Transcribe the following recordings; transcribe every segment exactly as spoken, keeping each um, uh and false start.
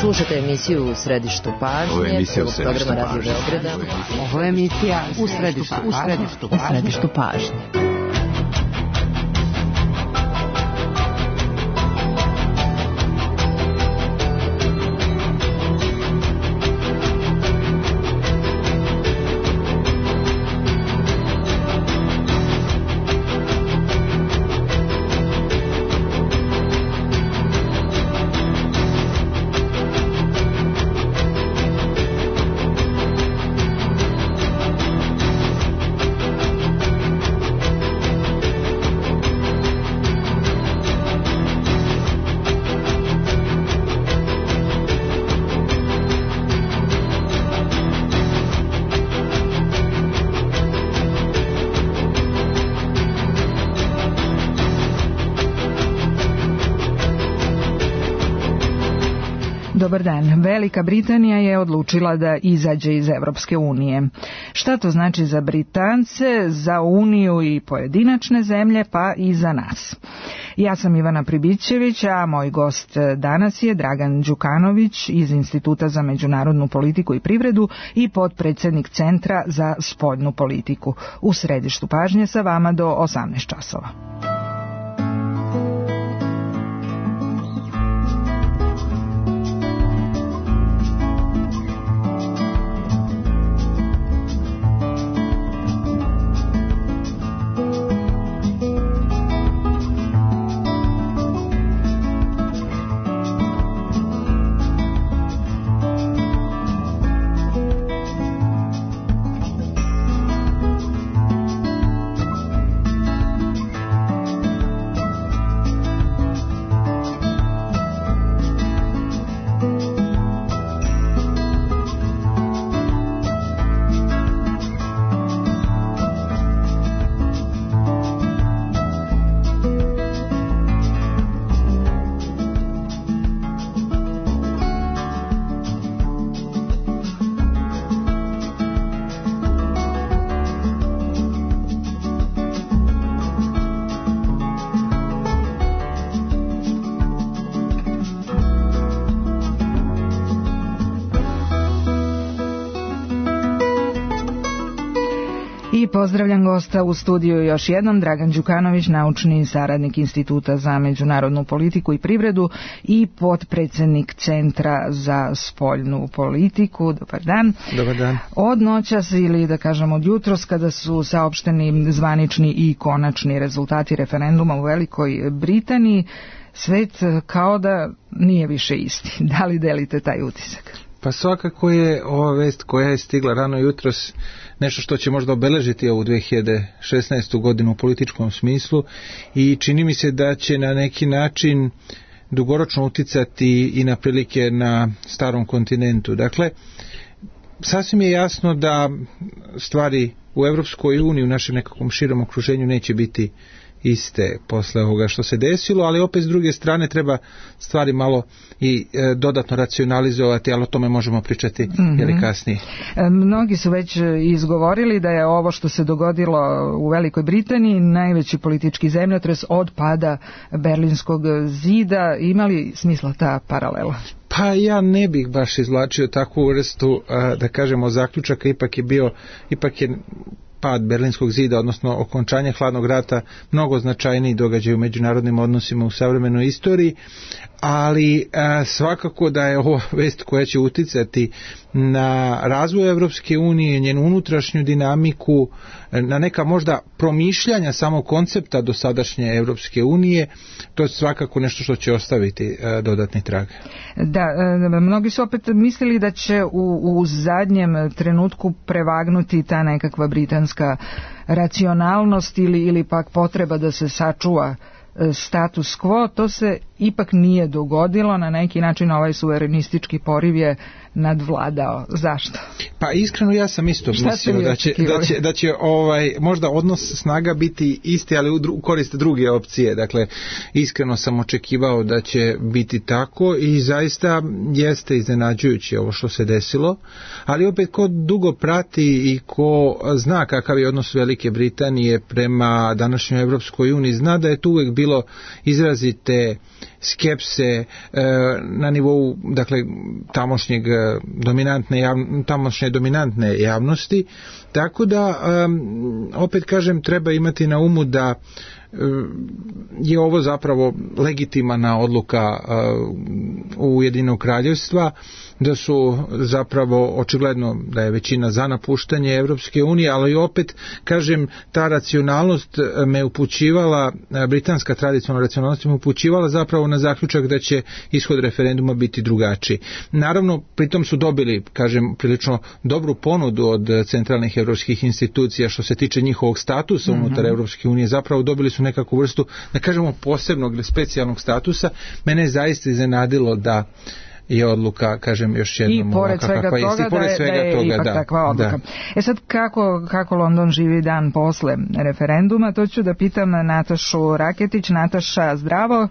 Slušajte emisiju U središtu pažnje. Ovo je emisija U središtu pažnje. Ovo je emisija U središtu pažnje. U središtu pažnje. Dobar dan. Velika Britanija je odlučila da izađe iz Evropske unije. Šta to znači za Britance, za Uniju i pojedinačne zemlje, pa i za nas? Ja sam Ivana Pribićević, a moj gost danas je Dragan Đukanović iz Instituta za međunarodnu politiku i privredu i potpredsjednik Centra za spoljnu politiku. U središtu pažnje sa vama do osamnaest časova. I pozdravljam gosta u studiju još jednom, Dragan Đukanović, naučni saradnik Instituta za međunarodnu politiku i privredu i potpredsjednik Centra za spoljnu politiku. Dobar dan. Dobar dan. Od noćas ili da kažem od jutros kada su saopšteni zvanični i konačni rezultati referenduma u Velikoj Britaniji, svet kao da nije više isti. Da li delite taj utisak? Pa svakako je ova vest koja je stigla rano jutros nešto što će možda obeležiti ovu dve hiljade šesnaestu godinu u političkom smislu i čini mi se da će na neki način dugoročno uticati i na prilike na starom kontinentu. Dakle, sasvim je jasno da stvari u Evropskoj uniji, u našem nekakvom širom okruženju neće biti iste posle ovoga što se desilo, ali opet s druge strane treba stvari malo i e, dodatno racionalizovati, ali o tome možemo pričati mm-hmm. jeli kasnije. E, mnogi su već izgovorili da je ovo što se dogodilo u Velikoj Britaniji najveći politički zemljotres od pada Berlinskog zida. Ima li smisla ta paralela? Pa ja ne bih baš izvlačio takvu vrstu, a, da kažemo, zaključaka. Ipak je bio, ipak je pad Berlinskog zida, odnosno okončanje hladnog rata, mnogo značajniji događaj u međunarodnim odnosima u savremenoj istoriji, ali a, svakako da je ovo vest koja će uticati na razvoj Evropske unije, njenu unutrašnju dinamiku, na neka možda promišljanja samog koncepta dosadašnje Evropske unije. To je svakako nešto što će ostaviti a, dodatni trag. Da, mnogi su opet mislili da će u, u zadnjem trenutku prevagnuti ta nekakva britanska racionalnost ili, ili pak potreba da se sačuva status quo. To se ipak nije dogodilo. Na neki način ovaj suverenistički poriv je nadvladao. Zašto? Pa iskreno ja sam isto mislio da će, da će, da će ovaj, možda odnos snaga biti isti, ali u, dru, u korist druge opcije. Dakle, iskreno sam očekivao da će biti tako i zaista jeste iznenađujuće ovo što se desilo, ali opet ko dugo prati i ko zna kakav je odnos Velike Britanije prema današnjoj Evropskoj uniji, zna da je tu uvijek bilo izrazite skepse na nivou, dakle, tamošnjeg dominantne javnosti, tamošnje dominantne javnosti, tako da opet kažem treba imati na umu da je ovo zapravo legitimna odluka Ujedinjenog kraljevstva, da su zapravo očigledno da je većina za napuštanje Evropske unije, ali opet kažem ta racionalnost me upućivala, britanska tradicionalna racionalnost me upućivala zapravo na zaključak da će ishod referenduma biti drugačiji. Naravno, pritom su dobili, kažem, prilično dobru ponudu od centralnih evropskih institucija što se tiče njihovog statusa mm-hmm. unutar Evropske unije, zapravo dobili su nekakvu vrstu, da kažemo, posebnog ili specijalnog statusa. Mene je zaista iznenadilo da je odluka, kažem, još jednom i pored svega toga, jest, i pored da, svega da je toga, ipak da, takva odluka. Da. E sad, kako, kako London živi dan posle referenduma, to ću da pitam Natašu Raketić. Nataša, zdravo.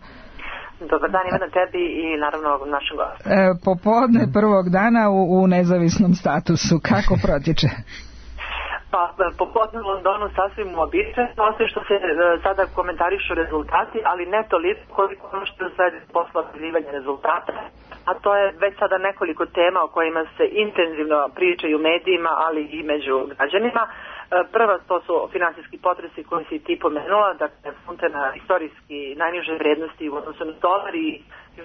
Dobar dan, Ivana, tebi i naravno našem gostu. E, popodne prvog dana u, u nezavisnom statusu, kako protiče? Pa, popodne u Londonu sasvim uobičajeno, osim što se e, sada komentarišu rezultati, ali ne toliko koliko ono što je sledi posle objavljivanja rezultata, a to je već sada nekoliko tema o kojima se intenzivno pričaju u medijima, ali i među građanima. E, prva to su finansijski potresi koji si ti pomenula, dakle funte na istorijski najniže vrednosti u odnosu na dolar i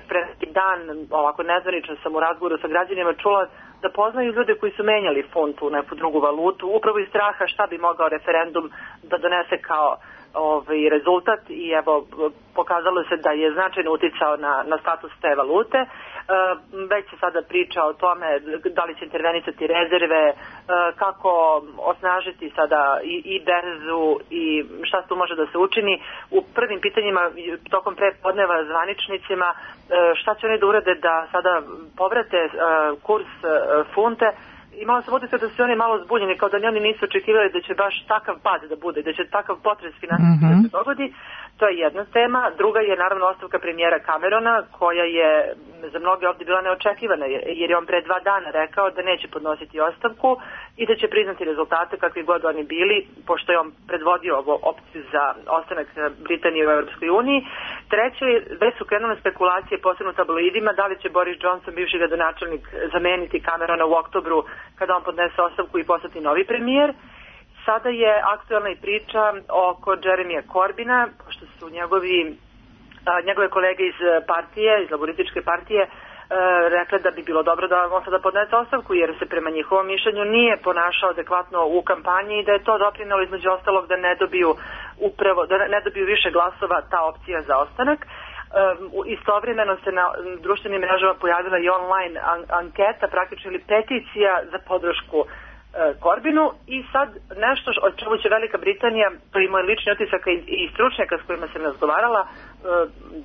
pre neki dan, ovako nezvanično sam u razgovoru sa građanima čula da poznaju ljude koji su menjali funt u neku drugu valutu, upravo iz straha šta bi mogao referendum da donese kao ovaj rezultat i evo pokazalo se da je značajno uticao na, na status te valute. E, već se sada priča o tome da li će intervenisati rezerve, e, kako osnažiti sada i, i berzu i šta tu može da se učini. U prvim pitanjima tokom prepodneva zvaničnicima e, šta će oni da urade da sada povrate e, kurs e, funte. Imala sam utisak da su oni malo zbunjeni, kao da oni nisu očekivali da će baš takav pad da bude, da će takav potres finansijski mm-hmm. da se dogodi. To je jedna tema. Druga je naravno ostavka premijera Camerona, koja je za mnoge ovdje bila neočekivana, jer je on pre dva dana rekao da neće podnositi ostavku i da će priznati rezultate kakvi god oni bili, pošto je on predvodio ovo opciju za ostanak Britanije u Europskoj uniji. Treće, već su krenule spekulacije, posebno u tabloidima, da li će Boris Johnson, bivši gradonačelnik, zameniti Camerona u oktobru kada on podnese ostavku i postati novi premijer. Sada je aktualna i priča oko Jeremija Corbina, pošto su njegovi, a, njegove kolege iz partije, iz laborističke partije, e, rekli da bi bilo dobro da on sada podnese ostavku, jer se prema njihovom mišljenju nije ponašao adekvatno u kampanji i da je to doprinelo između ostalog da ne dobiju upravo, da ne dobiju više glasova ta opcija za ostanak. Um, istovremeno se na društvenim mrežama pojavila i online an- anketa, praktično ili peticija za podršku uh, Corbinu i sad nešto o čemu će Velika Britanija, to je moj lični utisak i, i stručnjaka s kojima sam razgovarala, uh,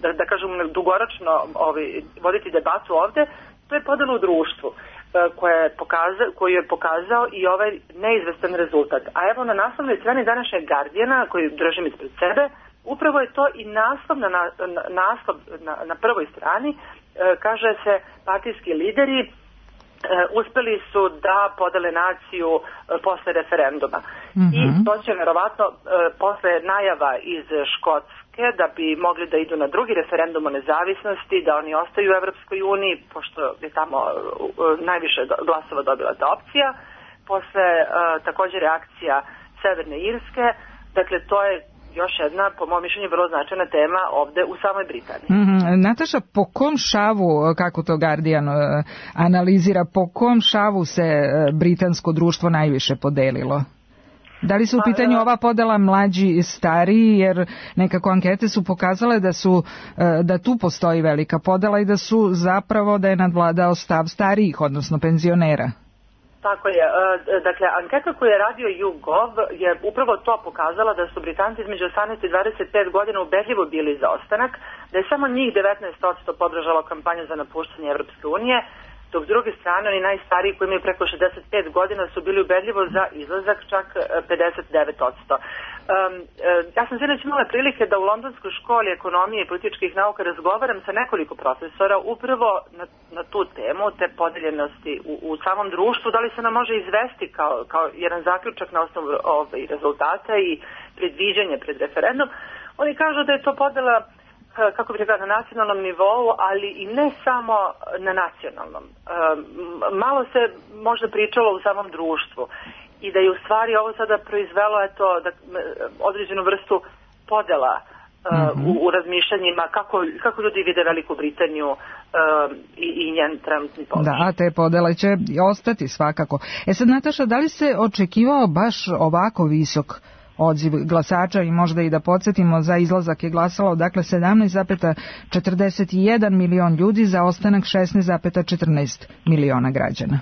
da, da kažem dugoročno ovaj, voditi debatu ovde, to je podela u društvu uh, koja je pokaza, koju je pokazao i ovaj neizvestan rezultat. A evo na naslovnoj strani današnjeg Guardiana, koju držim ispred sebe, upravo je to i naslov na, na, naslov na, na prvoj strani, e, kaže se partijski lideri e, uspeli su da podele naciju e, posle referenduma. Mm-hmm. I to će verovatno e, posle najava iz Škotske da bi mogli da idu na drugi referendum o nezavisnosti, da oni ostaju u Evropskoj uniji, pošto je tamo e, najviše glasova dobila ta opcija. Posle e, također reakcija Severne Irske, dakle to je još jedna, po mojom mišljenju, vrlo značajna tema ovde u samoj Britaniji. Mm-hmm. Nataša, po kom šavu, kako to Guardian uh, analizira, po kom šavu se uh, britansko društvo najviše podelilo? Da li su u pitanju ova podela mlađi i stariji, jer nekako ankete su pokazale da su uh, da tu postoji velika podela i da su zapravo da je nadvladao stav starijih, odnosno penzionera? Tako je. Dakle, anketa koju je radio YouGov je upravo to pokazala da su Britanci između osamnaest i dvadeset pet godina ubedljivo bili za ostanak, da je samo njih devetnaest posto podržalo kampanju za napuštanje Evropske unije, dok s druge strane oni najstariji koji imaju preko šezdeset pet godina su bili ubedljivo za izlazak, čak pedeset devet posto. Um, ja sam sinoć imala prilike da u Londonskoj školi ekonomije i političkih nauka razgovaram sa nekoliko profesora upravo na, na tu temu, te podeljenosti u, u samom društvu, da li se nam može izvesti kao, kao jedan zaključak na osnovu ovaj, rezultata i predviđanje pred referendum. Oni kažu da je to podela kako bih rekla, na nacionalnom nivou, ali i ne samo na nacionalnom. Malo se možda pričalo u samom društvu i da je u stvari ovo sada proizvelo eto, da, određenu vrstu podela mm-hmm. u, u razmišljanjima kako, kako ljudi vide Veliku Britaniju i, i njen trenutni položaj. Da, a te podele će ostati svakako. E sad, Nataša, da li se očekivao baš ovako visok odziv glasača i možda i da podsjetimo, za izlazak je glasalo dakle sedamnaest zarez četrdeset jedan milion ljudi, za ostanak šesnaest zarez četrnaest miliona građana.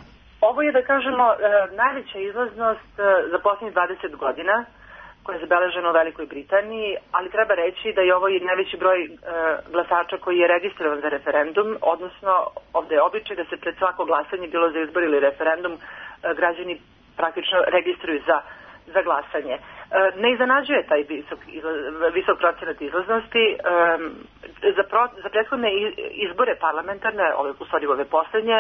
Ovo je, da kažemo, najveća izlaznost za posljednjih dvadeset godina koja je zabeležena u Velikoj Britaniji, ali treba reći da je ovo i najveći broj glasača koji je registrovan za referendum, odnosno ovdje je običaj da se pred svako glasanje, bilo za izbor ili referendum, građani praktično registruju za za glasanje. Ne iznenađuje taj visok, visok procenat izlaznosti. Za, pro, za prethodne izbore parlamentarne, ove, u stvari ove posljednje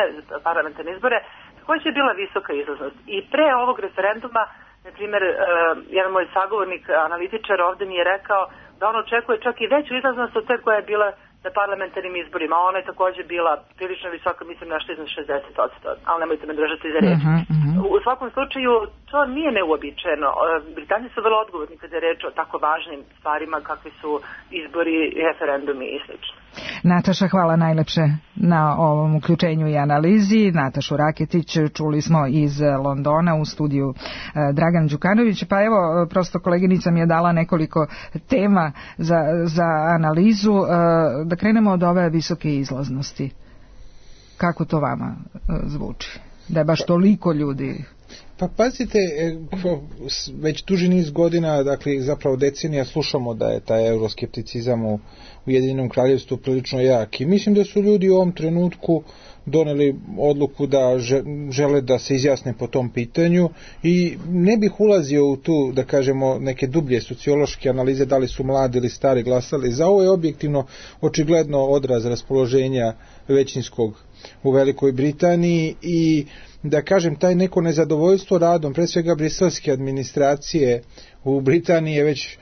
parlamentarne izbore, također je bila visoka izlaznost. I pre ovog referenduma, na primjer, jedan moj sagovornik, analitičar, ovdje mi je rekao da on očekuje čak i veću izlaznost od te koja je bila na parlamentarnim izborima. Ona je također bila prilično visoka, mislim nešto iznad šezdeset posto, ali nemojte me držati za reč. Uh-huh, uh-huh. U svakom slučaju, to nije neuobičajeno. Britanci su vrlo odgovorni kada je reč o tako važnim stvarima kakvi su izbori, referendumi i sl. Nataša, hvala najlepše na ovom uključenju i analizi. Natašu Raketić čuli smo iz Londona, u studiju Dragan Đukanović. Pa evo, prosto koleginica mi je dala nekoliko tema za, za analizu. Da krenemo od ove visoke izlaznosti. Kako to vama zvuči? Da je baš toliko ljudi... Pa pazite, već duži niz godina, dakle zapravo decenija, slušamo da je taj euroskepticizam u Ujedinjenom Kraljevstvu prilično jak i mislim da su ljudi u ovom trenutku doneli odluku da žele da se izjasne po tom pitanju i ne bih ulazio u tu, da kažemo, neke dublje sociološke analize da li su mladi ili stari glasali. Za ovo je objektivno očigledno odraz raspoloženja većinskog u Velikoj Britaniji i da kažem, taj neko nezadovoljstvo radom, pre svega briselske administracije u Britaniji je već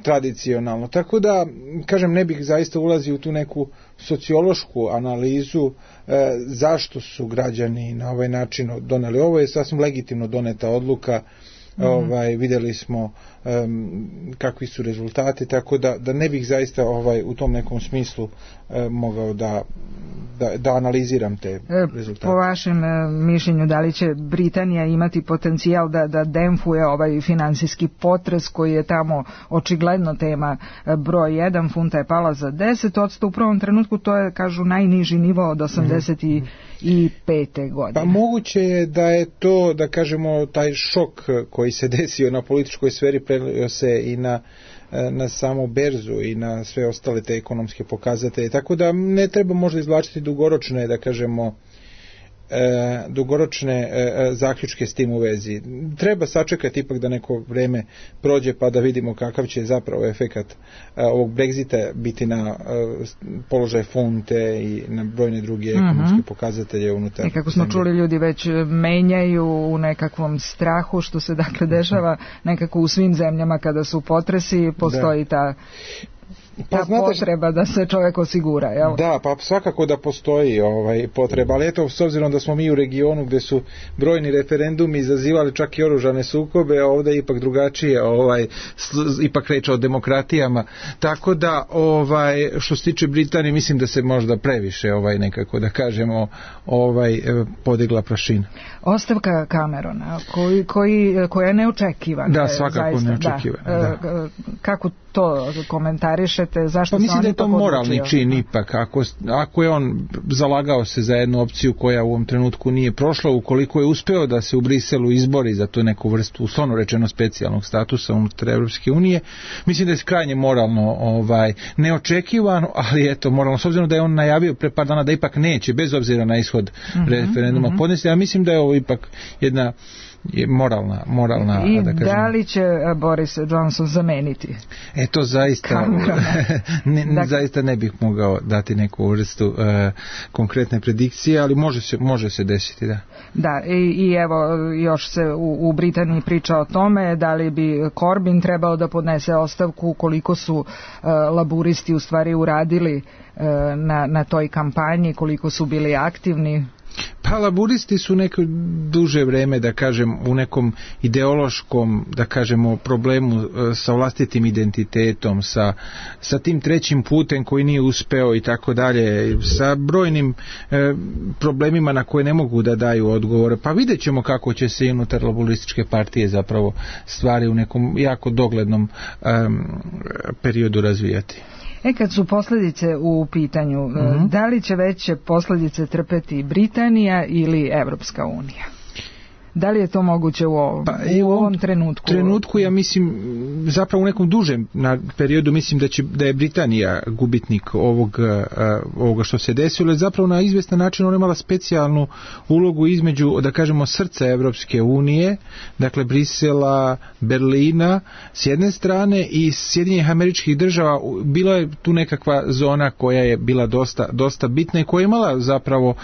tradicionalno. Tako da, kažem, ne bih zaista ulazio u tu neku sociološku analizu e, zašto su građani na ovaj način doneli. Ovo je sasvim legitimno doneta odluka. Mm. Ovaj, vidjeli smo um, kakvi su rezultati, tako da, da ne bih zaista ovaj, u tom nekom smislu um, mogao da, da, da analiziram te rezultate. Po vašem mišljenju, da li će Britanija imati potencijal da, da demfuje ovaj finansijski potres koji je tamo očigledno tema broj jedan, funta je pala za deset posto, u prvom trenutku to je, kažu, najniži nivo od osamdeset pete godine. Pa moguće je da je to, da kažemo, taj šok koji se desio na političkoj sferi prelio se i na, na samu berzu i na sve ostale te ekonomske pokazatelje, tako da ne treba možda izvlačiti dugoročne, da kažemo, E, dugoročne e, zaključke s tim u vezi. Treba sačekati ipak da neko vreme prođe pa da vidimo kakav će zapravo efekat e, ovog Brexita biti na e, položaj funte i na brojne druge ekonomske mm-hmm. pokazatelje unutar. I kako smo zemlje. Čuli, ljudi već menjaju u nekakvom strahu, što se dakle dešava nekako u svim zemljama kada su potresi, postoji da. ta Pa, ta znate, potreba da se čovjek osigura, jel? Da, pa svakako da postoji ovaj potreba, ali eto, s obzirom da smo mi u regionu gdje su brojni referendumi izazivali čak i oružane sukobe, a ovdje je ipak drugačije, ovaj, ipak reč o demokratijama, tako da, ovaj, što se tiče Britanije, mislim da se možda previše, ovaj, nekako da kažemo, ovaj, podigla prašina. Ostavka Camerona, koji, koji, koja je neočekivana. Da, svakako neočekivana. Da. Da. Kako to komentarišete? Zašto pa mislim da je to moralni odlučio? čin ipak. Ako, ako je on zalagao se za jednu opciju koja u ovom trenutku nije prošla, ukoliko je uspeo da se u Briselu izbori za tu neku vrstu, uslovno rečeno, specijalnog statusa unutar Evropske unije, mislim da je krajnje moralno ovaj, neočekivano, ali eto, moralno, s obzirom da je on najavio pre par dana da ipak neće, bez obzira na ishod mm-hmm, referenduma mm-hmm. podnesti, ja mislim da je ovo ipak jedna je moralna, moralna i da, kažem, da li će Boris Johnson zameniti? E to zaista ne, dakle, zaista ne bih mogao dati neku vrstu uh, konkretne predikcije, ali može se, može se desiti, da. Da, i, i evo još se u, u Britaniji priča o tome da li bi Corbyn trebao da podnese ostavku, koliko su uh, laburisti u stvari uradili uh, na, na toj kampanji, koliko su bili aktivni. Pa laburisti su neko duže vreme, da kažem, u nekom ideološkom, da kažemo, problemu sa vlastitim identitetom, sa, sa tim trećim putem koji nije uspeo i tako dalje, sa brojnim e, problemima na koje ne mogu da daju odgovore. Pa vidjet ćemo kako će se unutar laburističke partije zapravo stvari u nekom jako doglednom e, periodu razvijati. E kad su posljedice u pitanju, mm-hmm. da li će veće posljedice trpeti Britanija ili Evropska unija? Da li je to moguće u ovom, pa, u ovom trenutku? U trenutku ja mislim, zapravo u nekom dužem na periodu mislim da će da je Britanija gubitnik ovog, uh, ovoga što se desilo, jer zapravo na izvjestan način ona imala specijalnu ulogu između, da kažemo, srca Evropske unije, dakle Brisela, Berlina s jedne strane i Sjedinjenih Američkih Država. Bila je tu nekakva zona koja je bila dosta, dosta bitna i koja je imala zapravo uh,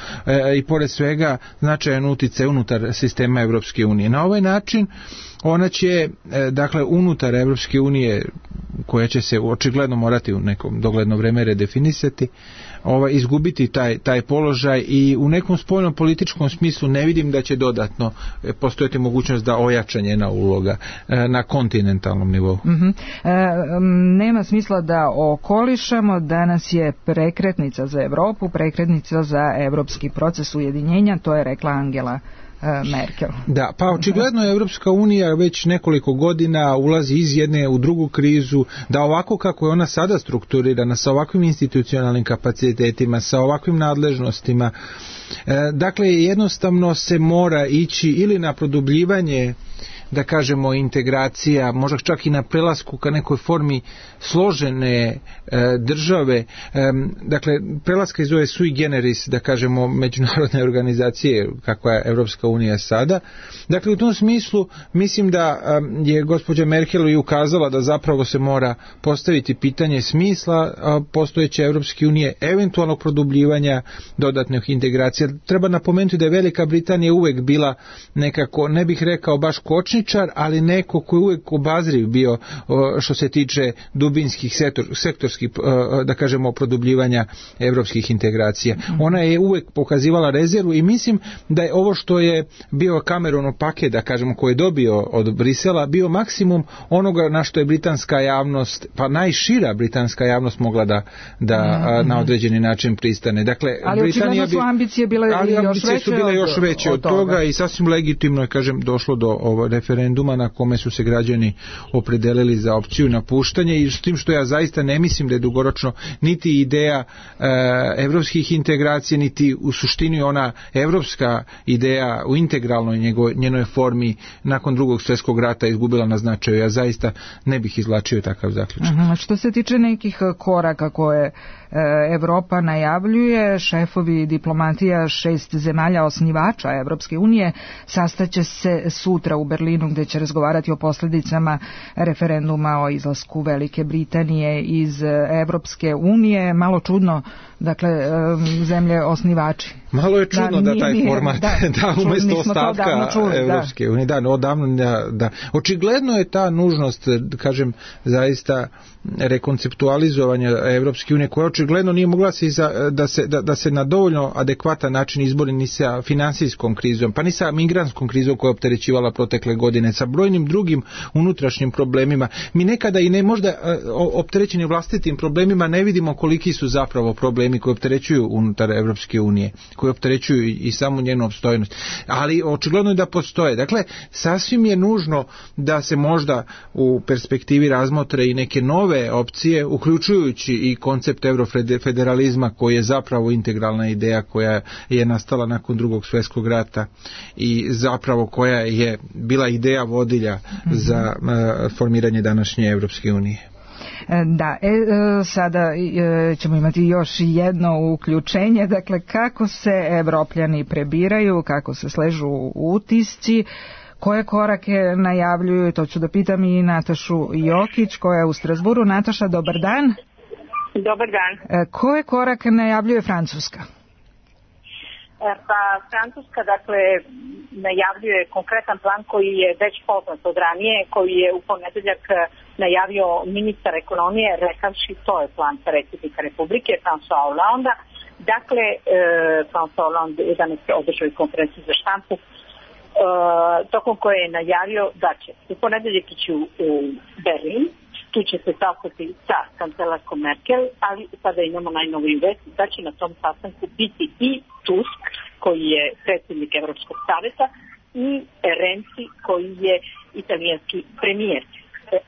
i pored svega značajan utjecaj unutar sistema Evropske unije. Na ovaj način ona će, dakle, unutar Evropske unije, koja će se očigledno morati u nekom dogledno vreme redefinisati, ovaj, izgubiti taj, taj položaj i u nekom spoljnom političkom smislu ne vidim da će dodatno postojati mogućnost da ojača njena uloga na kontinentalnom nivou. Mm-hmm. E, nema smisla da okolišamo, danas je prekretnica za Evropu, prekretnica za evropski proces ujedinjenja, to je rekla Angela Merkel. Da, pa očigledno je Evropska unija već nekoliko godina ulazi iz jedne u drugu krizu, da ovako kako je ona sada strukturirana, sa ovakvim institucionalnim kapacitetima, sa ovakvim nadležnostima, dakle jednostavno se mora ići ili na produbljivanje, da kažemo, integracija, možda čak i na prelasku ka nekoj formi složene e, države, e, dakle prelaska iz ove sui generis, da kažemo, međunarodne organizacije kakva je Evropska unija sada. Dakle u tom smislu mislim da e, je gospođa Merkel i ukazala da zapravo se mora postaviti pitanje smisla a, postojeće Evropske unije, eventualnog produbljivanja dodatnih integracija. Treba napomenuti da je Velika Britanija uvek bila nekako, ne bih rekao baš kočničar, ali neko koji je uvijek obazriv bio što se tiče dubinskih sektor, sektorskih, da kažemo, produbljivanja evropskih integracija. Ona je uvijek pokazivala rezervu i mislim da je ovo što je bio Cameronov paket, da kažemo, koji je dobio od Brisela, bio maksimum onoga na što je britanska javnost, pa najšira britanska javnost mogla da, da mm-hmm. na određeni način pristane. Dakle, ali Britanija su ambicije bile ali još ambicije veće su bile od, još veće od, od toga. toga i sasvim legitimno je, kažem, došlo do ovo referenduma na kome su se građani opredelili za opciju napuštanja, i s tim što ja zaista ne mislim da je dugoročno niti ideja e, evropskih integracija, niti u suštini ona evropska ideja u integralnoj njego, njenoj formi nakon drugog svjetskog rata izgubila na značaju. Ja zaista ne bih izvlačio takav zaključak. Aha, što se tiče nekih koraka koje Evropa najavljuje, šefovi diplomatija šest zemalja osnivača Evropske unije sastaće se sutra u Berlinu, gdje će razgovarati o posljedicama referenduma o izlasku Velike Britanije iz Evropske unije. Malo čudno, dakle, zemlje osnivači. Malo je čudno da, da taj nije, format da, da umjesto ostatka Evropske unije. Da, odavno, da, da. Očigledno je ta nužnost, kažem, zaista rekonceptualizovanja Evropske unije, koja očigledno nije mogla se iza, da, se, da, da se na dovoljno adekvatan način izbori ni sa finansijskom krizom, pa ni sa migrantskom krizom koja je opterećivala protekle godine, sa brojnim drugim unutrašnjim problemima. Mi nekada i ne možda opterećeni vlastitim problemima ne vidimo koliki su zapravo problemi koji opterećuju unutar Evropske unije, koji opterećuju i samu njenu opstojnost. Ali očigledno je da postoje. Dakle, sasvim je nužno da se možda u perspektivi razmotre i neke nove opcije, uključujući i koncept eurofederalizma, koji je zapravo integralna ideja koja je nastala nakon drugog svjetskog rata i zapravo koja je bila ideja vodilja mm-hmm. za uh, formiranje današnje Evropske unije. Da, e, sada e, ćemo imati još jedno uključenje, dakle kako se Evropljani prebiraju, kako se sležu utisci, Koje korake najavljuju, to ću da pitam i Natašu Jokić koja je u Strasburu. Nataša, dobar dan. Dobar dan. Koje korake najavljuje Francuska? Pa Francuska, dakle, najavljuje konkretan plan koji je već poznat od ranije, koji je u ponedeljak najavio ministar ekonomije, rekavši to je plan predsjednika Republike, François Hollande. Dakle, e, François Hollande je danas održao konferenciju za štampu, e, tokom koje je najavio da će u ponedeljak ići u, u Berlin, tu će se sastati sa kancelarkom Merkel, ali sada imamo najnoviju vest da će na tom sastanku biti i Tusk, koji je predsjednik Evropskog savjeta, i Renzi, koji je italijanski premijer.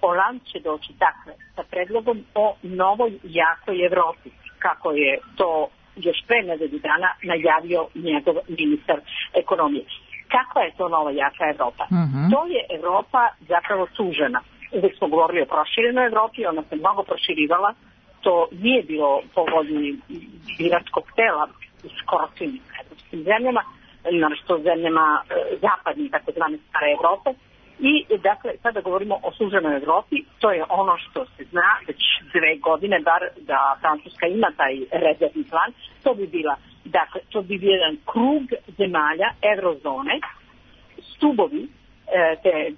Hollande će doći dakle sa predlogom o novoj jakoj Evropi, kako je to još pre nedelju dana najavio njegov ministar ekonomije. Kakva je to nova jaka Evropa? Uh-huh. To je Evropa zapravo sužena. Uvijek smo govorili o proširenoj Evropi, ona se mnogo proširivala, to nije bilo po volji biračkog tela u skoro svim evropskim zemljama, naročito zemljama zapadnih, takozvane stare Evrope. I dakle, sada govorimo o suženoj Evropi, to je ono što se zna već dve godine, bar da Francuska ima taj rezervni plan, to bi bila, dakle, to bi bio jedan krug zemalja eurozone, stubovi e, te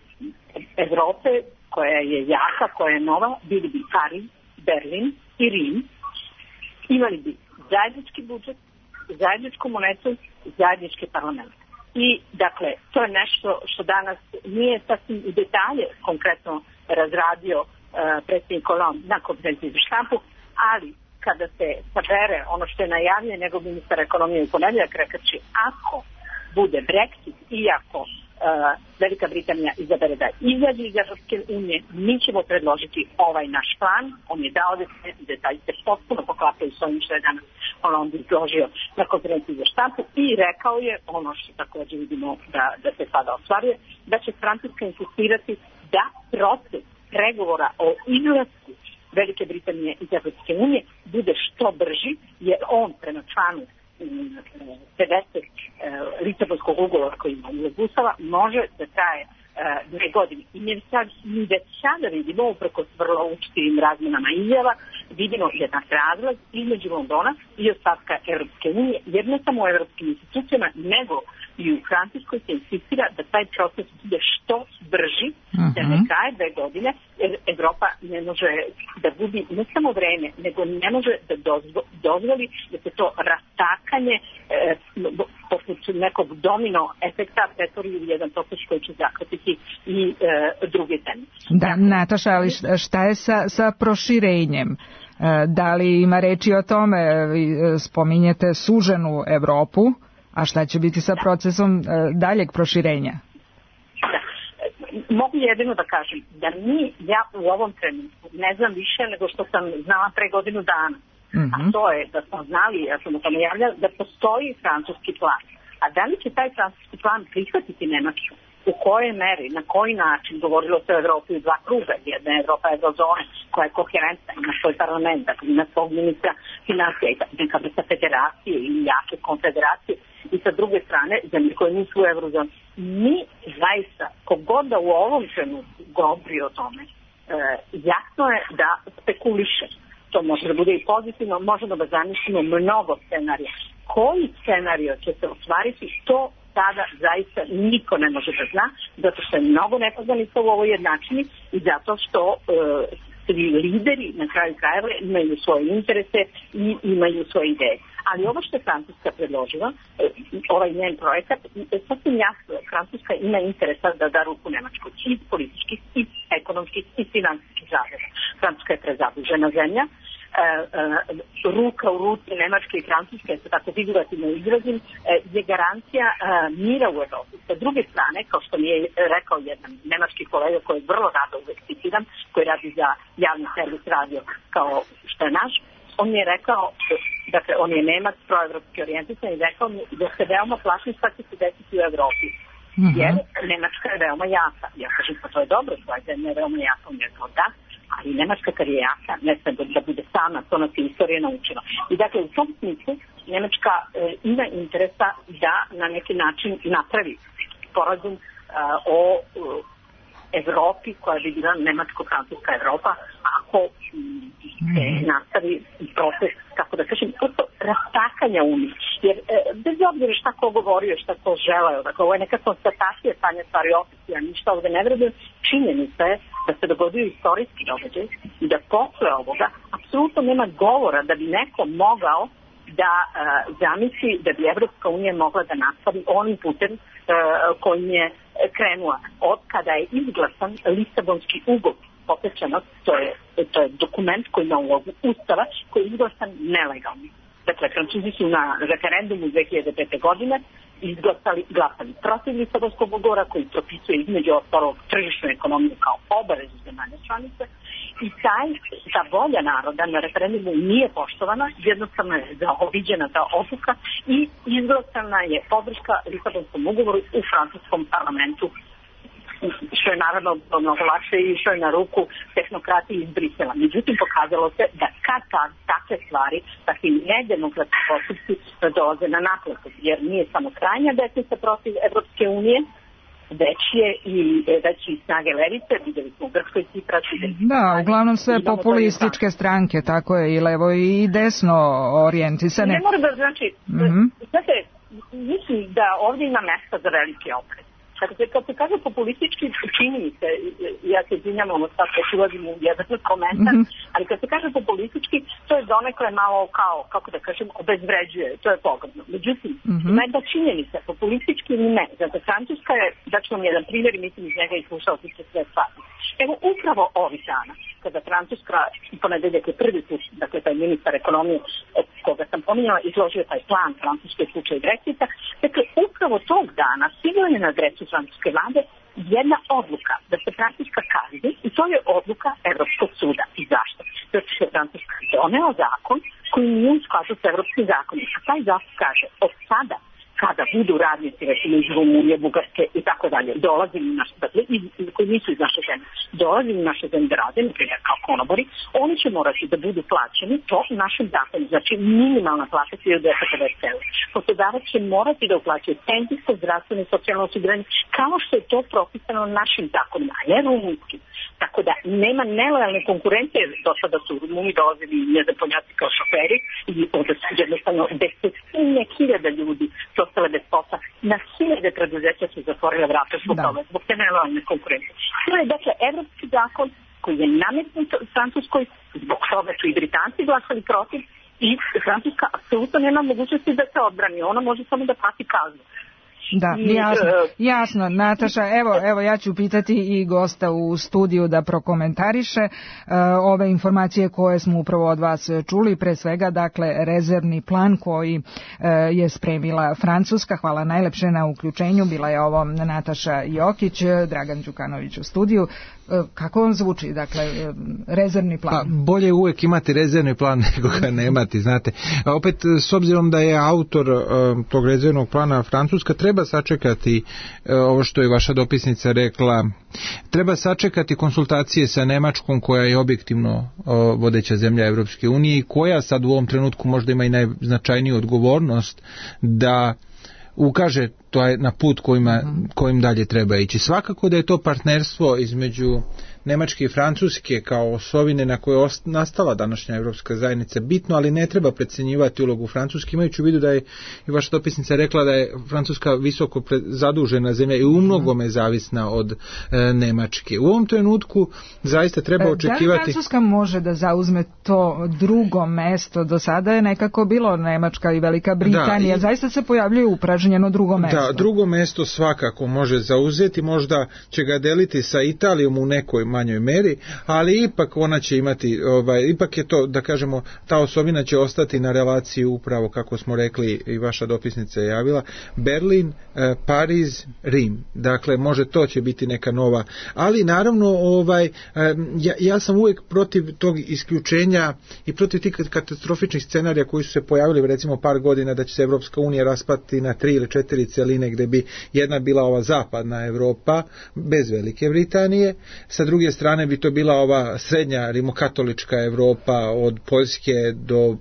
Evrope, koja je jaka, koja je nova, bili bi Pariz, Berlin i Rim, imali bi zajednički budžet, zajedničku monetu, zajednički parlament. I, dakle, to je nešto što danas nije sasvim u detalje konkretno razradio uh, predsjednik Hollande na konferenciji za štampu, ali kada se sabere ono što je najavio njegov ministar ekonomije u ponedeljak, rekaći ako bude Brexit i ako uh, Velika Britanija izabere da izađe iz Evropske unije, mi ćemo predložiti ovaj naš plan. On je dao detalji se potpuno poklapaju s ovim što je danas Hollande izložio na konferenciji za štampu i rekao je ono što također vidimo da, da se sada ostvaruje, da će Francuska insistirati da proces pregovora o izlasku Velike Britanije iz Evropske unije bude što brži, jer on prema članu pedeset Lisabonskog ugovora koji ima iz Ustava može da traje dve godine. I mi sad, mi već sada vidimo, upreko s vrlo učtivim razmjenama izjava, vidimo jednak razlaz između Londona i ostatka Evropske unije, jer ne samo u evropskim institucijama, nego i u Francuskoj se insistira da taj proces bude što brži, uh-huh. da ne traje dve godine, jer Evropa ne može da gubi ne samo vreme, nego ne može da dozvo, dozvoli da se to rastakanje e, poput nekog domino efekta pretvori u jedan proces koji će zahvatiti i e, druge teme. Da, Nataša, ali šta je sa, sa proširenjem? Da li ima reči o tome? Spominjete suženu Evropu, a šta će biti sa procesom daljeg proširenja? Da. Mogu jedino da kažem da mi, ja u ovom trenutku ne znam više nego što sam znala pre godinu dana. Mm-hmm. A to je da smo znali, ja sam o tome javljala, da postoji francuski plan. A da li će taj francuski plan prihvatiti Nemačku? U kojoj meri, na koji način, govorilo se o Evropi u dva kruga, jedna je Evropa eurozone koja je koherentna, ima svoj parlament, dakle ima svog ministra financija i neka vrsta federacije ili jake konfederacije, i sa druge strane zemlje koje nisu u eurozoni. Mi zaista, kogod da u ovom trenutku govori o tome, e, jasno je da spekuliše. To može da bude i pozitivno, možemo da zamislimo mnogo scenarija. Koji scenario će se ostvariti, to sada zaista niko ne može da zna, zato što je mnogo nepoznanica u ovoj jednačini i zato što e, svi lideri na kraju krajeva imaju svoje interese i imaju svoje ideje. Ali ovo što je Francuska predložila, e, ovaj njen projekat, je sasvim jasno. Francuska ima interesa da da ruku Nemačkoj i političkih, i ekonomskih, i finansijskih razloga. Francuska je prezadužena zemlja. Uh, uh, ruka u ruci Nemačke i Francuske, se tako figurativno izrazim, uh, je garancija uh, mira u Evropi. Sa druge strane, kao što mi je rekao jedan nemački kolega koji vrlo rado uvek citiram, koji radi za javni servis radio kao što je naš, on mi je rekao, dakle on je Nemac, proevropski orijentisan, i rekao mi da se veoma plašim šta će se desiti u Evropi. Mm-hmm. Jer Nemačka je veoma jaka. Ja kažem, pa to je dobro, tvoja zemlja je veoma jaka. On je rekao da, ali Nemačka kad je jaka, ne sve da bude sama, to nas je istorija naučila. I dakle, u tom smislu, Nemačka e, ima interesa da na neki način napravi sporazum o Evropi koja bi bila nemačko-francuska Evropa ako se nastavi proces, kako da kažem, prosto rastakanja Unije. Jer e, bez obzira šta ko govorio, šta ko želeo, dakle ovo je neka konstatacija stanja stvari oficija, ništa ovde ne vredujem, činjenica je da se dogodio istorijski događaj i da posle ovoga apsolutno nema govora da bi neko mogao da uh, zamisli da bi Evropska unija mogla da nastavi onim putem uh, kojim je krenula. Od kada je izglasan Lisabonski ugovor, potečeno, to je, to je dokument koji ima ulogu Ustava, koji je izglasan nelegalni. Dakle, Francuzi su na referendumu dve hiljade pete. godine izglasali, glasali protiv Lisabonskog ugovora koji propisuje između ostalog tržišnu ekonomiju kao obavezu zemalja članice i taj, ta volja naroda na referendumu nije poštovana, jednostavno je zaobiđena ta odluka i izglasana je podrška Lisabonskom ugovoru u francuskom parlamentu, što je naravno mnogo lakše i što je na ruku tehnokratiji iz Brisela. Međutim, pokazalo se da kad ta, takve stvari, takvi nedemokratski postupci dolaze na naplatu, jer nije samo krajnja desnica protiv Evropske unije, već je i već i snage levice, videli smo u Grčkoj Cipras. Da, uglavnom sve populističke stranke, tako je, i levo i desno orijentisane. Ne mora da znači, mm-hmm. znate, mislim da ovdje ima mesta za veliki opred. Kad se, kad se kaže populistički, čini mi se, ja se izvinjam, ono sad već ulazim u jedan komentar, mm-hmm. ali kad se kaže populistički, to je donekle malo kao, kako da kažem, obezvređuje, to je pogledno. Međutim, mm-hmm. ima jedna činjenica, populistički ili ne, zato Francuska je, daću vam jedan primjer i mislim iz njega i slušao ti se sve stvari. Evo, upravo ovih dana, kada Francuska, ponedeljak je prvi put, dakle, taj ministar ekonomije, koga sam pominjala, izložio taj plan francuske slučaje Brexita, dakle, upravo tog dana stigla je na adresu francuske vlade jedna odluka da se Francuska kazni i to je odluka Evropskog suda. I zašto? Zato što je Francuska doneo zakon koji nije u skladu sa evropskim zakonom. A taj zakon kaže od sada kada budu radnici, recimo iz Rumunije, Bugarske i tako dalje, dolazili u naše zemlje, koji nisu iz naše zemlje, dolazili u naše zemlje da rade, na primjer kao konobori, oni će morati da budu plaćeni to u našem zakonu, znači minimalna plata hiljadu dvesta pedeset eura. Poslodavac će morati da uplaćuje penzijsko, zdravstveno i socijalno osiguranje, kao što je to propisano našim zakonima, a ne rumunskim. Tako da nema nelojalne konkurencije, do sada su Rumuni dolazili nezapoljati kao šoferi i onda su jednostavno desetine hiljada ljudi su ostale bez posla. Na hiljade preduzeća su zatvorile vrata zbog toga, zbog te nelojalne konkurencije. To je dakle evropski zakon koji je nametnut Francuskoj, zbog toga su i Britanci glasali protiv i Francuska apsolutno nema mogućnosti da se odbrani. Ona može samo da plati kaznu. Da, jasno, jasno, Nataša, evo, evo ja ću pitati i gosta u studiju da prokomentariše uh, ove informacije koje smo upravo od vas čuli, pre svega, dakle, rezervni plan koji uh, je spremila Francuska. Hvala najlepše na uključenju, bila je ovo Nataša Jokić, Dragan Đukanović u studiju. Uh, kako vam zvuči, dakle, uh, rezervni plan? Pa, bolje uvek imati rezervni plan nego ga nemati, znate. A opet, s obzirom da je autor uh, tog rezervnog plana Francuska, treba sačekati uh, ovo što je vaša dopisnica rekla, treba sačekati konsultacije sa Nemačkom koja je objektivno uh, vodeća zemlja Evropske unije i koja sad u ovom trenutku možda ima i najznačajniju odgovornost da ukaže to je na put kojima, kojim dalje treba ići. Svakako da je to partnerstvo između Nemačke i Francuske kao osovine na kojoj je nastala današnja Evropska zajednica bitno, ali ne treba precenjivati ulogu Francuske, imajući u vidu da je i vaša dopisnica rekla da je Francuska visoko zadužena zemlja i u mnogome zavisna od e, Nemačke. U ovom trenutku zaista treba očekivati... Da li Francuska može da zauzme to drugo mesto? Do sada je nekako bilo Nemačka i Velika Britanija. Da, i... zaista se pojavljuje upražnjeno drugo mesto. Da, drugo mesto svakako može zauzeti, možda će ga deliti sa Italijom u nekoj manjoj meri, ali ipak ona će imati, ovaj, ipak je to, da kažemo, ta osobina će ostati na relaciji upravo, kako smo rekli i vaša dopisnica je javila, Berlin, eh, Pariz, Rim. Dakle, može to će biti neka nova, ali naravno, ovaj, eh, ja, ja sam uvijek protiv tog isključenja i protiv tih katastrofičnih scenarija koji su se pojavili, recimo par godina da će se Evropska unija raspati na tri ili četiri podeline gdje bi jedna bila ova zapadna Europa bez Velike Britanije, sa druge strane bi to bila ova srednja rimokatolička Europa od Poljske do uh,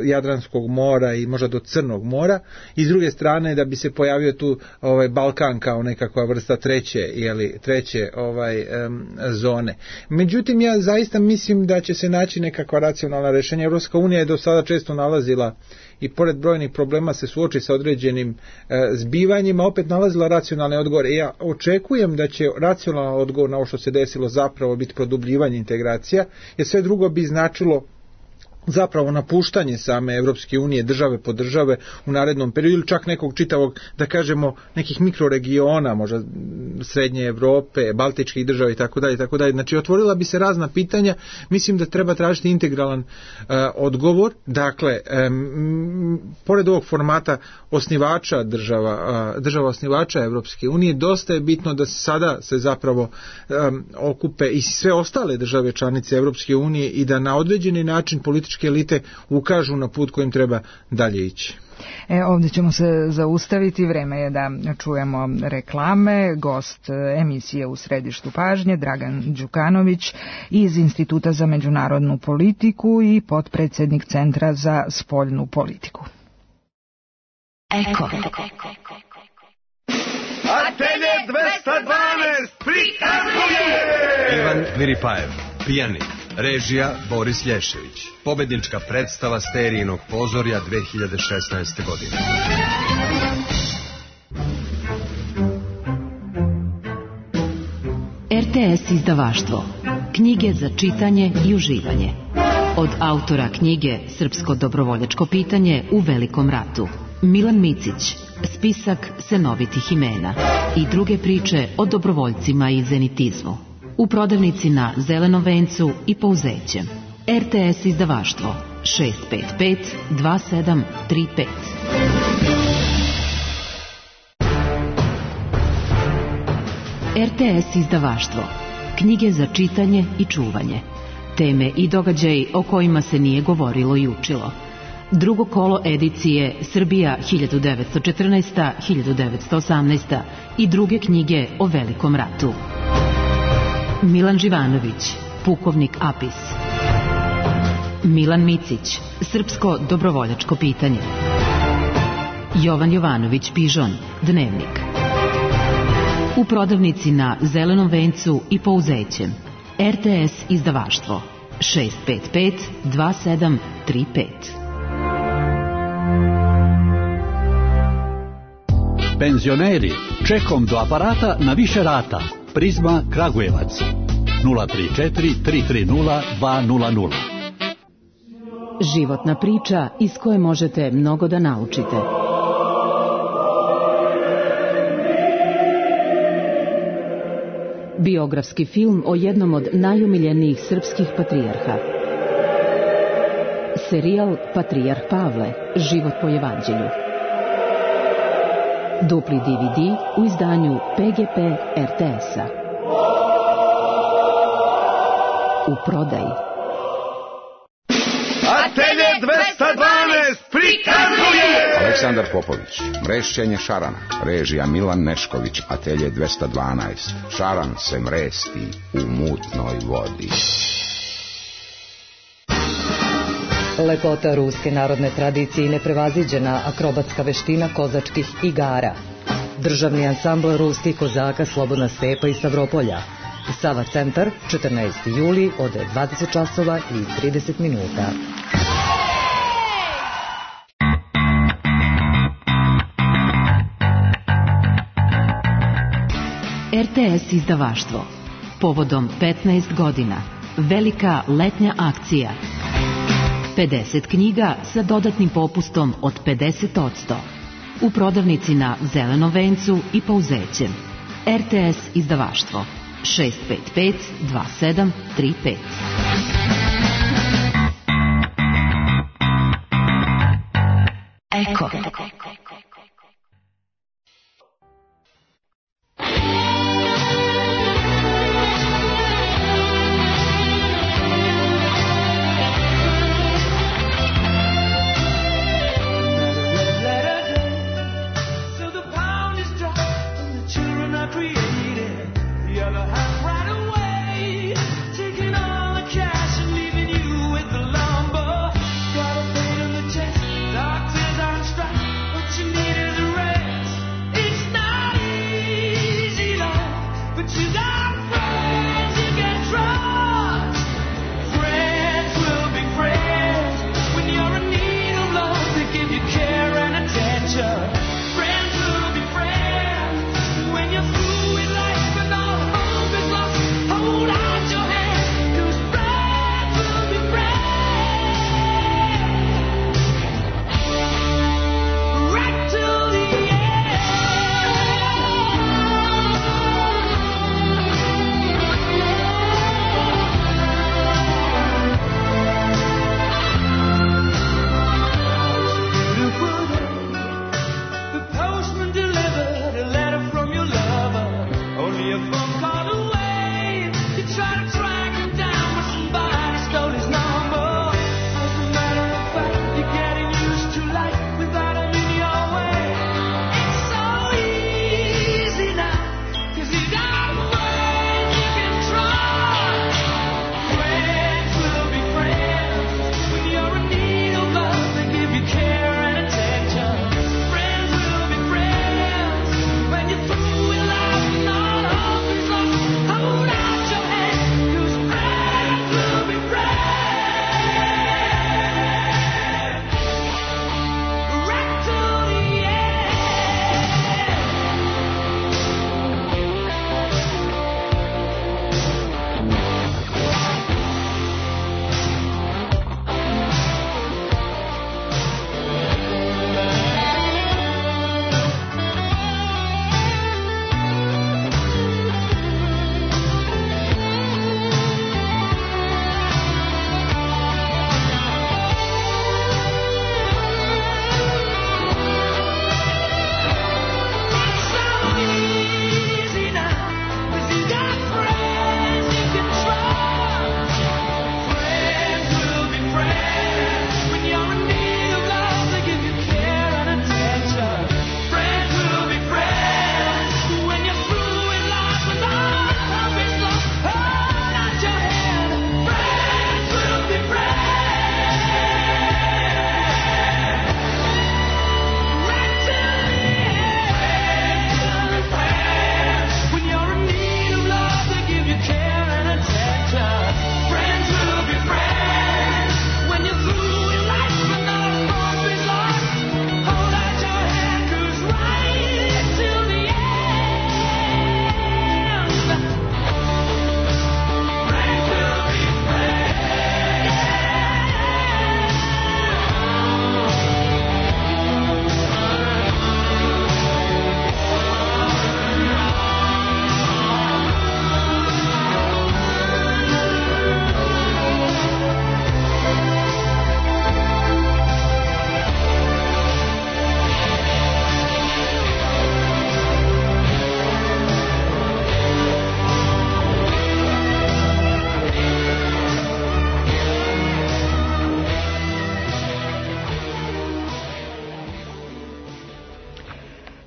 Jadranskog mora i možda do Crnog mora, i s druge strane da bi se pojavio tu ovaj Balkan kao nekakva vrsta treće, jeli, treće ovaj um, zone. Međutim, ja zaista mislim da će se naći nekakva racionalna rješenja. Evropska unija je do sada često nalazila i pored brojnih problema se suoči sa određenim e, zbivanjima, opet nalazila racionalne odgovore. Ja očekujem da će racionalan odgovor na ovo što se desilo zapravo biti produbljivanje integracija, jer sve drugo bi značilo zapravo napuštanje same Evropske unije države po države u narednom periodu, ili čak nekog čitavog, da kažemo, nekih mikroregiona, možda Srednje Evrope, Baltičkih država i tako dalje, tako dalje. Znači, otvorila bi se razna pitanja. Mislim da treba tražiti integralan uh, odgovor. Dakle, um, pored ovog formata osnivača država, uh, država osnivača Evropske unije, dosta je bitno da sada se zapravo um, okupe i sve ostale države članice Evropske unije i da na određeni način politički elite ukažu na put kojim treba dalje ići. E, ovdje ćemo se zaustaviti, vreme je da čujemo reklame. Gost emisije U središtu pažnje Dragan Đukanović iz Instituta za međunarodnu politiku i potpredsjednik Centra za spoljnu politiku. Eko. Atelje dvesta dvanaest prikazuje Ivan Miripajev, pijanik. Režija Boris Lješević. Pobednička predstava Sterijinog pozorja dve hiljade šesnaeste. godine. R T S izdavaštvo. Knjige za čitanje i uživanje. Od autora knjige Srpsko dobrovoljačko pitanje u Velikom ratu. Milan Micić. Spisak senovitih imena. I druge priče o dobrovoljcima i zenitizmu. U prodavnici na Zelenom vencu i Pouzećem. R T S izdavaštvo šest pet pet dva sedam tri pet. R T S izdavaštvo. Knjige za čitanje i čuvanje. Teme i događaji o kojima se nije govorilo i učilo. Drugo kolo edicije Srbija hiljadu devetsto četrnaesta do hiljadu devetsto osamnaesta. i druge knjige o Velikom ratu. Milan Živanović, pukovnik Apis. Milan Micić, Srpsko dobrovoljačko pitanje. Jovan Jovanović Pižon, Dnevnik. U prodavnici na Zelenom vencu i Pouzećem. R T S izdavaštvo šest pet pet dva sedam tri pet. Penzioneri, čekom do aparata na više rata. Prizma Kragujevac nula tri četiri tri tri nula dva nula nula. Životna priča iz koje možete mnogo da naučite. Biografski film o jednom od najomiljenijih srpskih patrijarha. Serijal Patrijarh Pavle, život po evanđelju. Dupli D V D u izdanju P G P R T S-a. U prodaji. Atelje dvesta dvanaest prikazuje Aleksandar Popović, mrešćenje šarana. Režija Milan Nešković. Atelje dvesta dvanaest. Šaran se mresti u mutnoj vodi. Lepota ruske narodne tradicije i neprevaziđena akrobatska veština kozačkih igara. Državni ansambl ruskih kozaka Slobodna stepa iz Stavropolja. Sava centar, četrnaesti juli od dvadeset časova i trideset minuta. R T S izdavaštvo. Povodom petnaest godina. Velika letnja akcija. pedeset knjiga sa dodatnim popustom od pedeset posto. U prodavnici na Zelenom vencu i Pouzećem. R T S izdavaštvo šest pet pet dva sedam tri pet. Eko. To the power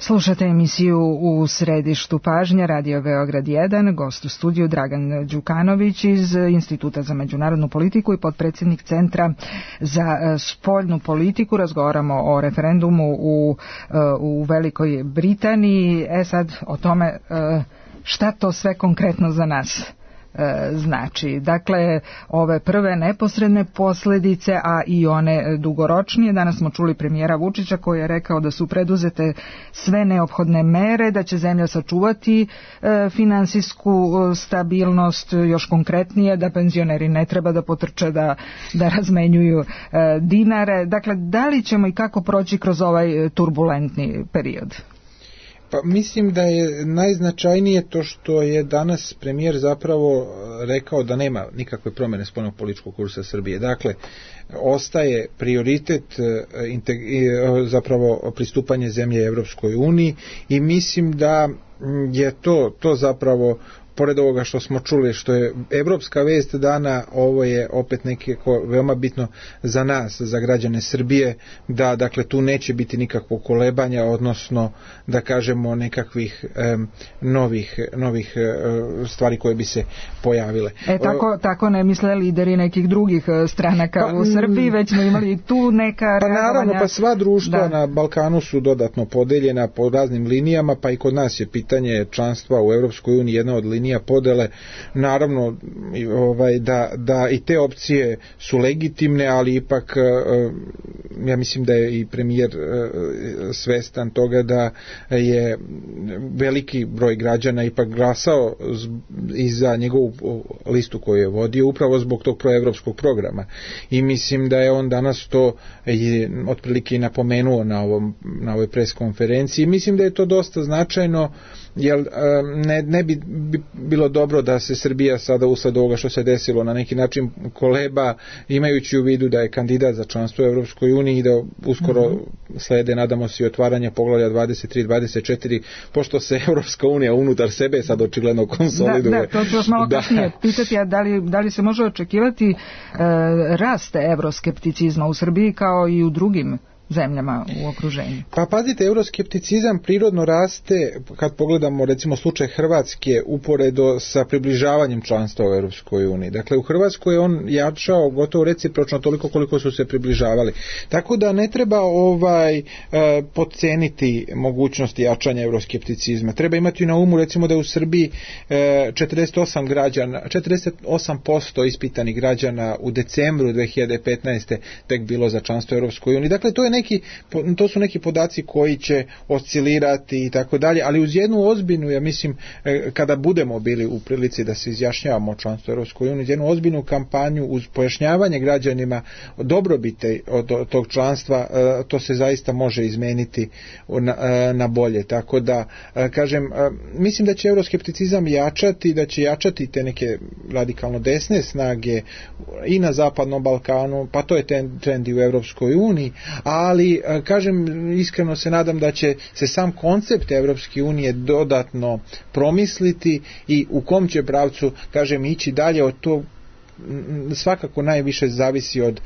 Slušate emisiju U središtu pažnje, Radio Beograd jedan, gost u studiju Dragan Đukanović iz Instituta za međunarodnu politiku i potpredsjednik Centra za spoljnu politiku. Razgovaramo o referendumu u, u Velikoj Britaniji. E sad o tome šta to sve konkretno za nas znači. Dakle, ove prve neposredne posljedice, a i one dugoročnije. Danas smo čuli premijera Vučića koji je rekao da su preduzete sve neophodne mere, da će zemlja sačuvati e, finansijsku stabilnost, još konkretnije da penzioneri ne treba da potrče da, da razmenjuju e, dinare. Dakle, da li ćemo i kako proći kroz ovaj turbulentni period? Pa mislim da je najznačajnije to što je danas premijer zapravo rekao da nema nikakve promjene spoljnog političkog kursa Srbije. Dakle, ostaje prioritet zapravo pristupanje zemlje Evropskoj uniji i mislim da je to, to zapravo pored ovoga što smo čuli, što je evropska vest dana, ovo je opet nekako veoma bitno za nas, za građane Srbije, da dakle tu neće biti nikakvog kolebanja, odnosno da kažemo nekakvih um, novih, novih uh, stvari koje bi se pojavile. E tako, tako ne misle lideri nekih drugih stranaka pa, u Srbiji, već smo imali tu neka pa reagovanja. Naravno, pa sva društva da. na Balkanu su dodatno podeljena po raznim linijama, pa i kod nas je pitanje članstva u Evropskoj uniji jedna od linija podele. Naravno ovaj, da, da i te opcije su legitimne, ali ipak ja mislim da je i premijer svestan toga da je veliki broj građana ipak glasao i za njegovu listu koju je vodio upravo zbog tog proevropskog programa i mislim da je on danas to je otprilike i napomenuo na, ovom, na ovoj pres konferenciji. Mislim da je to dosta značajno, jer ne, ne bi bilo dobro da se Srbija sada usled ovoga što se desilo na neki način koleba, imajući u vidu da je kandidat za članstvo u Evropskoj uniji i da uskoro mm-hmm. slede, nadamo se, i otvaranje poglavlja dvadeset tri dvadeset četiri, pošto se Evropska unija unutar sebe sad očigledno konsoliduje. Da, da, to ću vas malo kasnije pitati, a da li, da li se može očekivati e, rast evroskepticizma u Srbiji kao i u drugim zemljama u okruženju? Pa pazite, euroskepticizam prirodno raste kad pogledamo recimo slučaj Hrvatske uporedo sa približavanjem članstva u Europskoj uniji. Dakle, u Hrvatskoj je on jačao gotovo recipročno toliko koliko su se približavali. Tako da ne treba ovaj e, podceniti mogućnosti jačanja euroskepticizma. Treba imati na umu recimo da je u Srbiji e, četrdeset osam građana, četrdeset osam posto ispitanih građana u decembru dve hiljade petnaeste tek bilo za članstvo u Europskoj uniji. Dakle, to je neki, to su neki podaci koji će oscilirati i tako dalje, ali uz jednu ozbiljnu, ja mislim, kada budemo bili u prilici da se izjašnjavamo o članstvu Europskoj uniji, jednu ozbiljnu kampanju uz pojašnjavanje građanima dobrobite od tog članstva, to se zaista može izmeniti na, na bolje. Tako da, kažem, mislim da će euroskepticizam jačati, da će jačati te neke radikalno desne snage i na Zapadnom Balkanu, pa to je trend i u Europskoj uniji, a ali kažem, iskreno se nadam da će se sam koncept Evropske unije dodatno promisliti i u kom će pravcu, kažem, ići dalje. Od to svakako najviše zavisi od,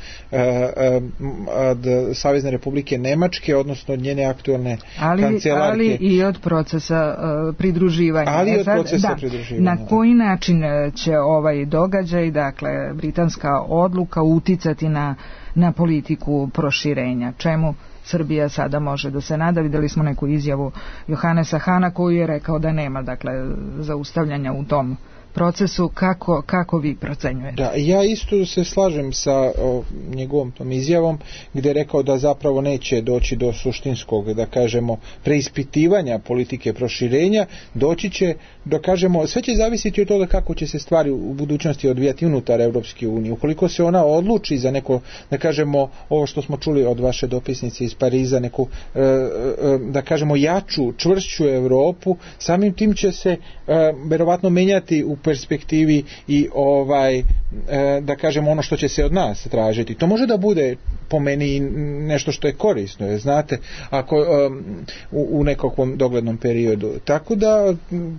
od Savezne Republike Nemačke, odnosno od njene aktualne ali, kancelarke. Ali i od procesa pridruživanja. Ali i od Sad, procesa da, pridruživanja. Na koji način će ovaj događaj, dakle, britanska odluka uticati na na politiku proširenja? Čemu Srbija sada može da se nada? Videli smo neku izjavu Johanesa Hana koji je rekao da nema, dakle, zaustavljanja u tom procesu. Kako, kako vi procenjujete? Da, ja isto se slažem sa o, njegovom tom izjavom gdje je rekao da zapravo neće doći do suštinskog, da kažemo, preispitivanja politike proširenja, doći će, da kažemo, sve će zavisiti od toga kako će se stvari u budućnosti odvijati unutar Evropske unije. Ukoliko se ona odluči za neko, da kažemo, ovo što smo čuli od vaše dopisnice iz Pariza, neku, e, e, da kažemo, jaču, čvršću Europu, samim tim će se e, verovatno menjati u perspektivi i ovaj, e, da kažemo, ono što će se od nas tražiti. To može da bude po meni nešto što je korisno, jer znate, ako um, u, u nekakvom doglednom periodu. Tako da,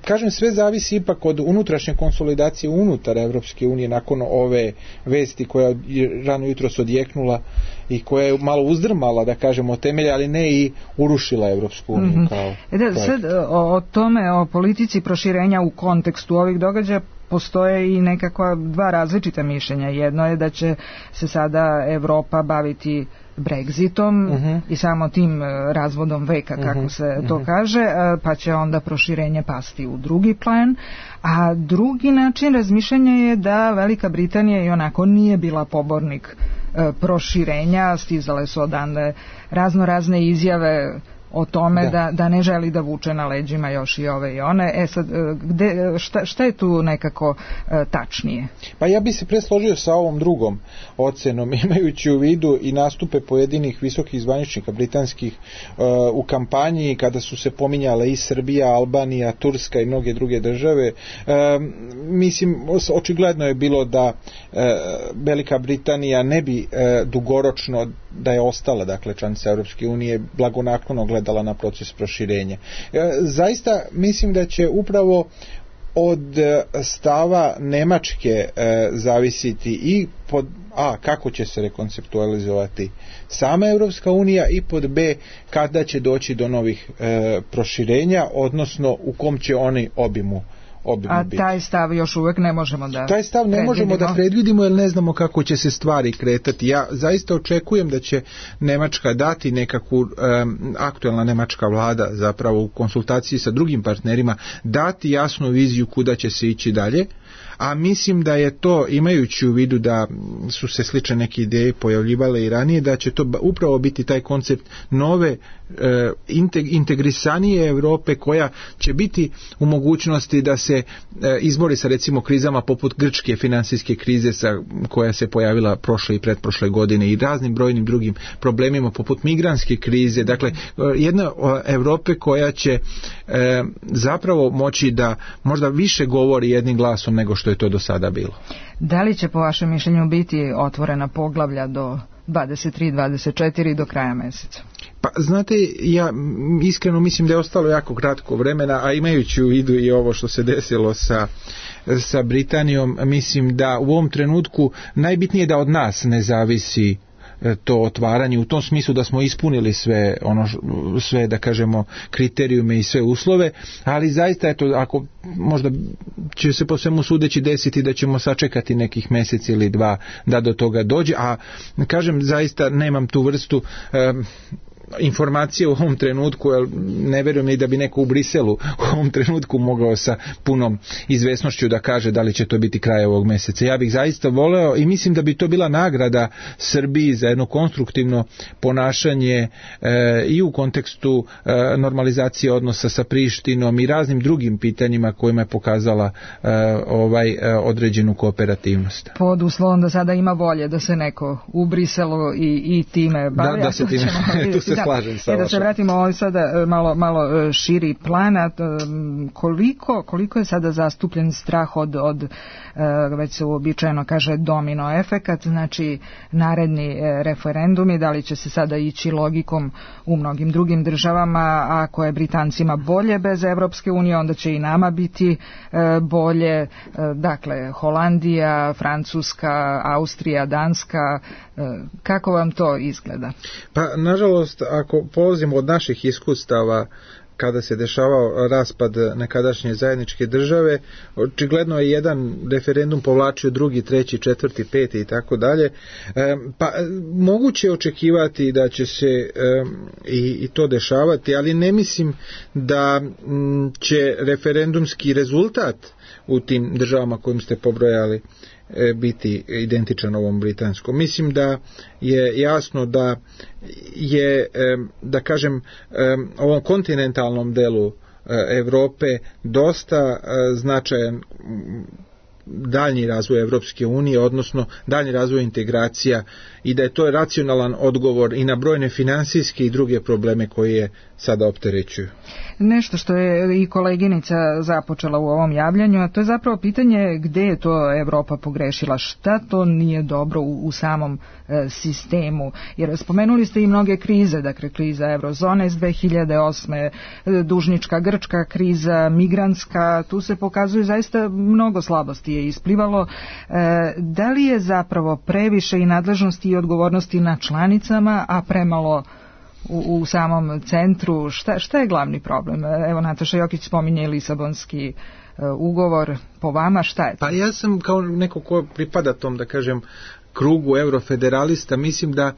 kažem, sve zavisi ipak od unutrašnje konsolidacije unutar Evropske unije nakon ove vesti koja je rano jutros odjeknula i koja je malo uzdrmala, da kažemo, temelje, ali ne i urušila Evropsku uniju mm-hmm. kao e da, sad o, o tome, o politici proširenja u kontekstu ovih događaja postoje i nekakva dva različita mišljenja. Jedno je da će se sada Evropa baviti Brexitom uh-huh. i samo tim razvodom veka, kako uh-huh. se to uh-huh. kaže, pa će onda proširenje pasti u drugi plan, a drugi način razmišljanja je da Velika Britanija i onako nije bila pobornik e, proširenja, stizale su odande razno razne izjave o tome da. Da, da ne želi da vuče na leđima još i ove i one. E sad, gde, šta, šta je tu nekako e, tačnije? Pa ja bi se presložio sa ovom drugom ocenom, imajući u vidu i nastupe pojedinih visokih zvaničnika britanskih e, u kampanji, kada su se pominjale i Srbija, Albanija, Turska i mnoge druge države. E, mislim, očigledno je bilo da e, Velika Britanija ne bi e, dugoročno, da je ostala, dakle, članica Europske unije, blagonaklono gledala na proces proširenja. Zaista mislim da će upravo od stava Nemačke e, zavisiti i pod A, kako će se rekonceptualizovati sama Europska unija, i pod B, kada će doći do novih e, proširenja, odnosno u kom će oni obimu A biti. Taj stav još uvijek ne možemo da Taj stav ne možemo da predvidimo, jer ne znamo kako će se stvari kretati. Ja zaista očekujem da će Nemačka dati nekakvu, um, aktuelna nemačka vlada zapravo u konsultaciji sa drugim partnerima, dati jasnu viziju kuda će se ići dalje, a mislim da je to, imajući u vidu da su se slične neke ideje pojavljivale i ranije, da će to upravo biti taj koncept nove e, integrisanije Europe, koja će biti u mogućnosti da se e, izbori sa recimo krizama poput grčke finansijske krize sa, koja se pojavila prošle i pretprošle godine, i raznim brojnim drugim problemima poput migrantske krize. Dakle, jedna Europe koja će e, zapravo moći da možda više govori jednim glasom nego što je to do sada bilo. Da li će po vašem mišljenju biti otvorena poglavlja do dvadeset tri dvadeset četiri do kraja mjeseca? Pa znate, ja iskreno mislim da je ostalo jako kratko vremena, a imajući u vidu i ovo što se desilo sa, sa Britanijom, mislim da u ovom trenutku najbitnije da od nas ne zavisi to otvaranje, u tom smislu da smo ispunili sve ono sve da kažemo kriterijume i sve uslove, ali zaista eto, ako možda će se po svemu sudeći desiti da ćemo sačekati nekih mjesec ili dva da do toga dođe, a kažem, zaista nemam tu vrstu um, informacije u ovom trenutku, jer ne vjerujem ni da bi neko u Briselu u ovom trenutku mogao sa punom izvesnošću da kaže da li će to biti kraj ovog mjeseca. Ja bih zaista voleo i mislim da bi to bila nagrada Srbiji za jedno konstruktivno ponašanje e, i u kontekstu e, normalizacije odnosa sa Prištinom i raznim drugim pitanjima kojima je pokazala e, ovaj e, određenu kooperativnost. Pod uslovom da sada ima volje da se neko u Briselu i, i time bavi. Da, da se time, tu se slažem sa vašom. Da se vratimo ovaj sada malo, malo širi plana, koliko, koliko je sada zastupljen strah od, od već se uobičajeno kaže domino efekat, znači naredni referendumi, da li će se sada ići logikom u mnogim drugim državama, ako je Britancima bolje bez Evropske unije, onda će i nama biti bolje, dakle Holandija, Francuska, Austrija, Danska, kako vam to izgleda? Pa nažalost, ako polazimo od naših iskustava kada se dešavao raspad nekadašnje zajedničke države, očigledno je jedan referendum povlačio drugi, treći, četvrti, peti i tako dalje. Pa moguće je očekivati da će se i, i to dešavati, ali ne mislim da će referendumski rezultat u tim državama kojim ste pobrojali biti identičan ovom britanskom. Mislim da je jasno da je, da kažem, ovom kontinentalnom delu Europe dosta značajan daljnji razvoj Evropske unije, odnosno daljnji razvoj integracija, i da je to racionalan odgovor i na brojne finansijske i druge probleme koje je sada opterećuju. Nešto što je i koleginica započela u ovom javljanju, a to je zapravo pitanje gdje je to Evropa pogrešila, šta to nije dobro u, u samom e, sistemu, jer spomenuli ste i mnoge krize, dakle kriza eurozone iz dve hiljade osme, dužnička grčka kriza, migrantska, tu se pokazuju zaista mnogo slabosti je isplivalo. Da li je zapravo previše i nadležnosti i odgovornosti na članicama, a premalo u, u samom centru? Šta, šta je glavni problem? Evo, Nataša Jokić spominje Lisabonski ugovor. Po vama šta je to? Pa ja sam kao neko ko pripada tom, da kažem, krugu eurofederalista, mislim da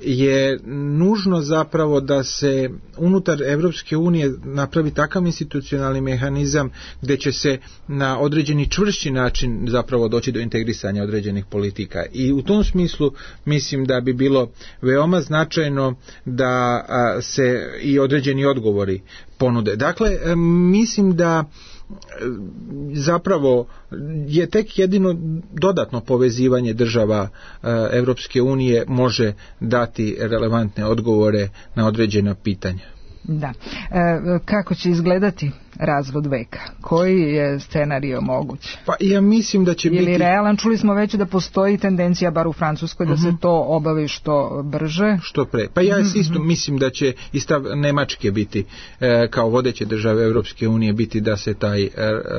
je nužno zapravo da se unutar Evropske unije napravi takav institucionalni mehanizam gdje će se na određeni čvršći način zapravo doći do integrisanja određenih politika. I u tom smislu mislim da bi bilo veoma značajno da se i određeni odgovori ponude. Dakle, mislim da zapravo je tek jedino dodatno povezivanje država Evropske unije može dati relevantne odgovore na određena pitanja. Da. E, kako će izgledati razvod veka? Koji je scenario moguć? Pa ja mislim da će Ili biti... realan? Čuli smo već da postoji tendencija, bar u Francuskoj, da uh-huh. se to obavi što brže. Što pre. Pa ja uh-huh. isto mislim da će i stav Nemačke biti, e, kao vodeće države Evropske unije, biti da se taj e,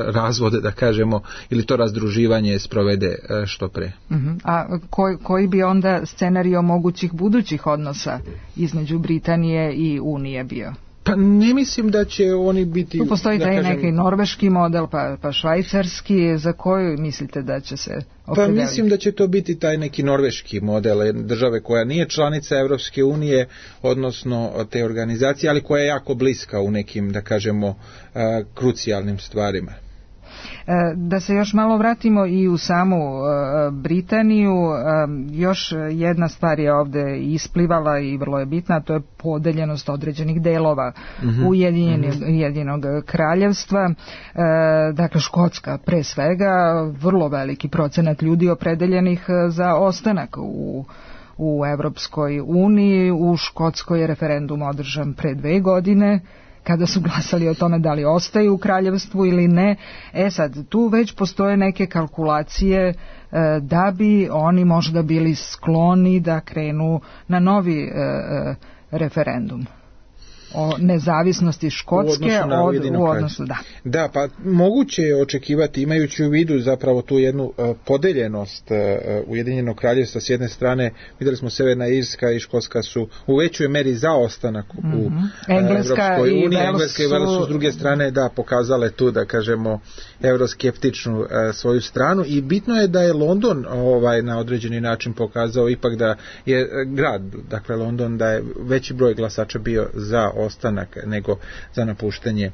razvod, da kažemo, ili to razdruživanje sprovede e, što pre. Uh-huh. A koj, koji bi onda scenario mogućih budućih odnosa između Britanije i Unije bio? Pa ne mislim da će oni biti... Tu postoji taj kažem, neki norveški model, pa, pa švajcarski. Za koju mislite da će se opredeliti? Pa mislim da će to biti taj neki norveški model države koja nije članica Evropske unije, odnosno te organizacije, ali koja je jako bliska u nekim, da kažemo, krucijalnim stvarima. Da se još malo vratimo i u samu Britaniju, još jedna stvar je ovdje isplivala i vrlo je bitna, to je podeljenost određenih delova mm-hmm. Ujedinjenog mm-hmm. kraljevstva. Dakle, Škotska pre svega, vrlo veliki procenat ljudi opredeljenih za ostanak u u Evropskoj uniji. U Škotskoj je referendum održan pre dve godine, kada su glasali o tome da li ostaju u kraljevstvu ili ne. E sad, tu već postoje neke kalkulacije e, da bi oni možda bili skloni da krenu na novi e, e, referendum o nezavisnosti Škotske u od, u odnosu, da. Da, pa moguće je očekivati, imajući u vidu zapravo tu jednu uh, podeljenost uh, Ujedinjenog kraljevstva s jedne strane, vidjeli smo Severna Irska i Škotska su u većoj meri za ostanak mm-hmm. u uh, Evropskoj uniji, Engleska i Wales su s druge strane da pokazale tu, da kažemo, euroskeptičnu uh, svoju stranu, i bitno je da je London ovaj na određeni način pokazao ipak da je uh, grad, dakle London, da je veći broj glasača bio za ostanak nego za napuštanje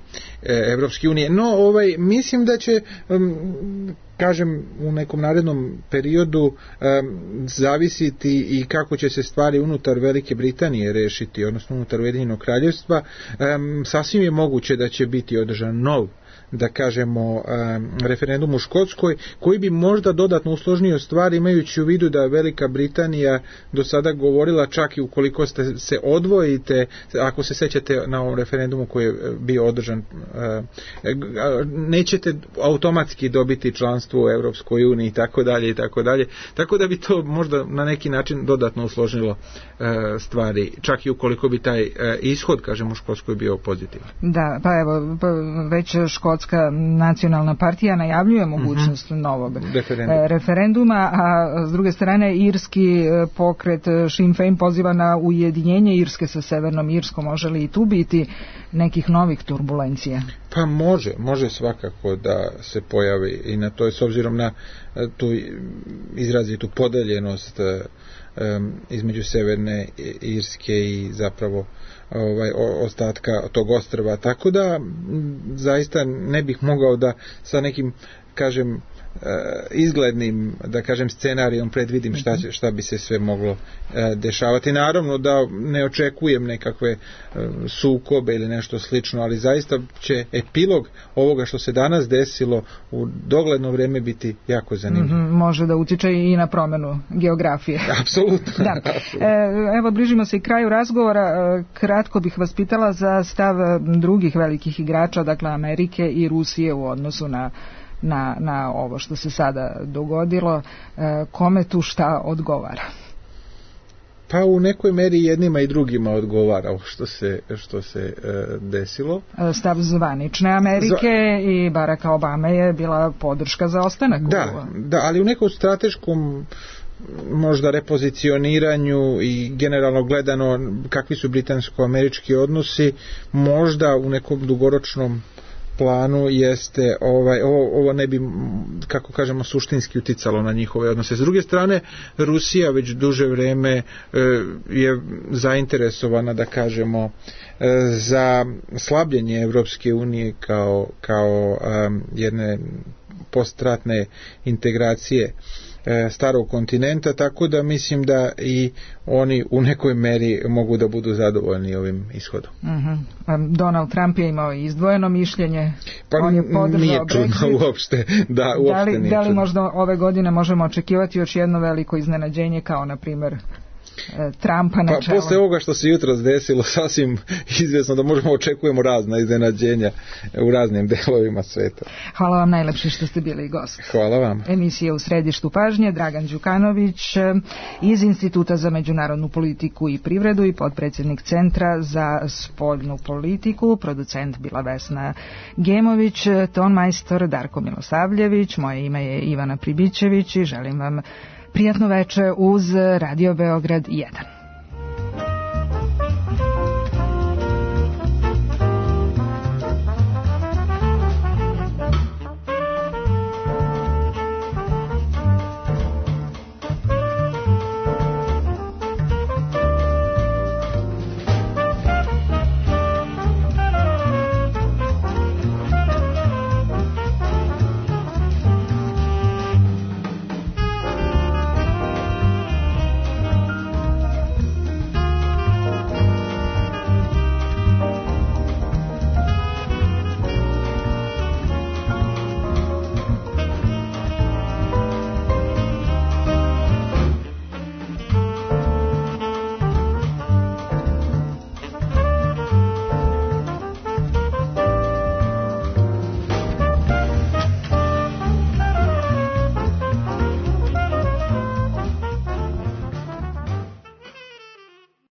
Evropske unije. No, ovaj, mislim da će, um, kažem, u nekom narednom periodu um, zavisiti i kako će se stvari unutar Velike Britanije rešiti, odnosno unutar Ujedinjenog kraljevstva. Um, sasvim je moguće da će biti održan nov, da kažemo, um, referendum u Škotskoj, koji bi možda dodatno usložnio stvari, imajući u vidu da Velika Britanija do sada govorila, čak i ukoliko ste se odvojite, ako se sećate na ovom referendumu koji je bio održan, uh, nećete automatski dobiti članstvo u Europskoj uniji i tako dalje i tako dalje, tako da bi to možda na neki način dodatno usložnilo uh, stvari, čak i ukoliko bi taj uh, ishod, kažemo, u Škotskoj bio pozitivan. Da, pa evo, pa već Škotska nacionalna partija najavljuje mogućnost uh-huh. novog referenduma. referenduma, a s druge strane irski pokret Sinn Féin poziva na ujedinjenje Irske sa Severnom Irskom. Može li i tu biti nekih novih turbulencija? Pa može, može svakako da se pojavi i na to je, s obzirom na tu izrazitu podeljenost um, između Severne Irske i zapravo ovaj ostatka tog ostrva, tako da zaista ne bih mogao da sa nekim, kažem, izglednim, da kažem, scenarijom predvidim šta, će, šta bi se sve moglo dešavati. Naravno da ne očekujem nekakve sukobe ili nešto slično, ali zaista će epilog ovoga što se danas desilo u dogledno vrijeme biti jako zanimljiv. Mm-hmm, može da utiče i na promjenu geografije. Apsolutno. Da. Apsolutno. Evo, bližimo se i kraju razgovora. Kratko bih vas pitala za stav drugih velikih igrača, dakle Amerike i Rusije u odnosu na Na, na ovo što se sada dogodilo, e, kome tu šta odgovara? Pa u nekoj meri jednima i drugima odgovara što se, što se e, desilo. Stav zvanične Amerike Zva... i Baracka Obame je bila podrška za ostanak. Da, u... da, ali u nekom strateškom možda repozicioniranju i generalno gledano kakvi su britansko-američki odnosi, možda u nekom dugoročnom planu jeste ovaj, ovo, ovo ne bi, kako kažemo, suštinski uticalo na njihove odnose. S druge strane, Rusija već duže vreme e, je zainteresovana, da kažemo, e, za slabljenje Evropske unije kao, kao um, jedne postratne integracije starog kontinenta, tako da mislim da i oni u nekoj meri mogu da budu zadovoljni ovim ishodom. Uh-huh. Donald Trump je imao izdvojeno mišljenje, pa on je podržao nije čudno Brexit. uopšte, da, uopšte da li, nije da li čudno. možda ove godine možemo očekivati još jedno veliko iznenađenje, kao na primjer Trumpa na pa, čelu? Posle ovoga što se jutros desilo, sasvim izvjesno da možemo očekujemo razna iznenađenja u raznim delovima sveta. Hvala vam najlepše što ste bili gost. Hvala vam. Emisija U središtu pažnje, Dragan Đukanović iz Instituta za međunarodnu politiku i privredu i potpredsjednik Centra za spoljnu politiku, producent bila Vesna Gemović, tonmajstor Darko Milosavljević, moje ime je Ivana Pribićević i želim vam prijatno veče uz Radio Beograd jedan.